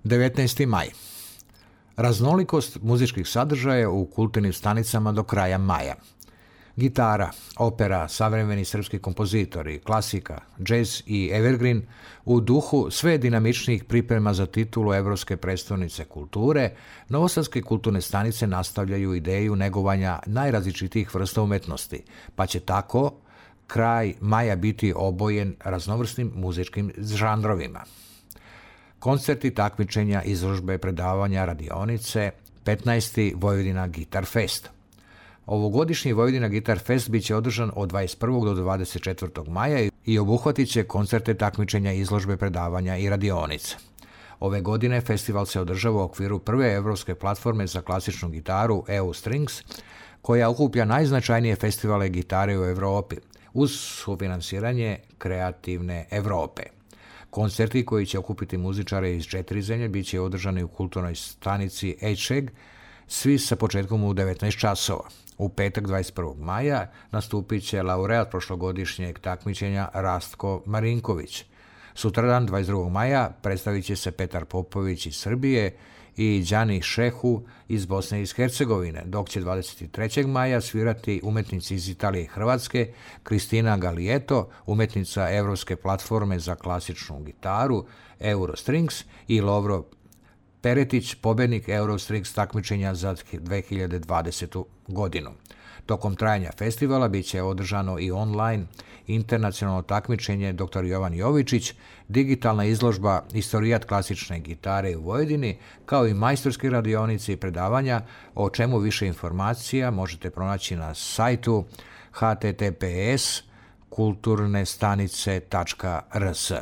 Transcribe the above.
19. maj. Raznolikost muzičkih sadržaja u kulturnim stanicama do kraja maja. Gitara, opera, savremeni srpski kompozitori, klasika, džez i evergreen u duhu sve dinamičnijih priprema za titulu Evropske prestonice kulture, novosadske kulturne stanice nastavljaju ideju negovanja najrazličitijih vrsta umetnosti, pa će tako kraj maja biti obojen raznovrsnim muzičkim žanrovima. Koncerti, takmičenja, izložbe, predavanja, radionice, 15. Vojvodina Guitar Fest. Ovogodišnji Vojvodina Guitar Fest biće održan od 21. do 24. maja i obuhvatit će koncerte, takmičenja, izložbe, predavanja i radionice. Ove godine festival se održava u okviru prve evropske platforme za klasičnu gitaru EU Strings, koja okuplja najznačajnije festivale gitare u Evropi, uz sufinansiranje Kreativne Evrope. Koncerti koji će okupiti muzičare iz 4 zemlje bit će održani u kulturnoj stanici Ečeg, svi sa početkom u 19 časova. U petak 21. maja nastupit će laureat prošlogodišnjeg takmičenja Rastko Marinković. Sutradan 22. maja predstavit će se Petar Popović iz Srbije i Đani Šehu iz Bosne i Hercegovine, dok će 23. maja svirati umetnici iz Italije i Hrvatske, Kristina Galijeto, umetnica Evropske platforme za klasičnu gitaru Eurostrings i Lovro Peretić, pobednik Eurostrings takmičenja za 2020. godinu. Tokom trajanja festivala bit će održano i online internacionalno takmičenje Dr. Jovan Jovičić, digitalna izložba Istorijat klasične gitare u Vojvodini, kao i majstorske radionice i predavanja, o čemu više informacija možete pronaći na sajtu https kulturnestanice.rs.